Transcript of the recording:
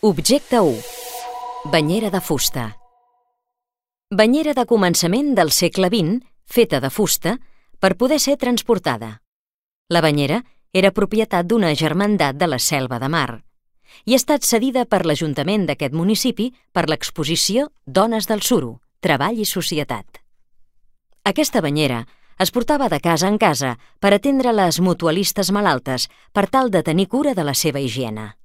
Objecte 1. Banyera de fusta. Banyera de començament del segle XX, feta de fusta, per poder ser transportada. La banyera era propietat d'una germandat de la Selva de Mar i ha estat cedida per l'Ajuntament d'aquest municipi per l'exposició Dones del Suro, Treball i Societat. Aquesta banyera es portava de casa en casa per atendre les mutualistes malaltes per tal de tenir cura de la seva higiene.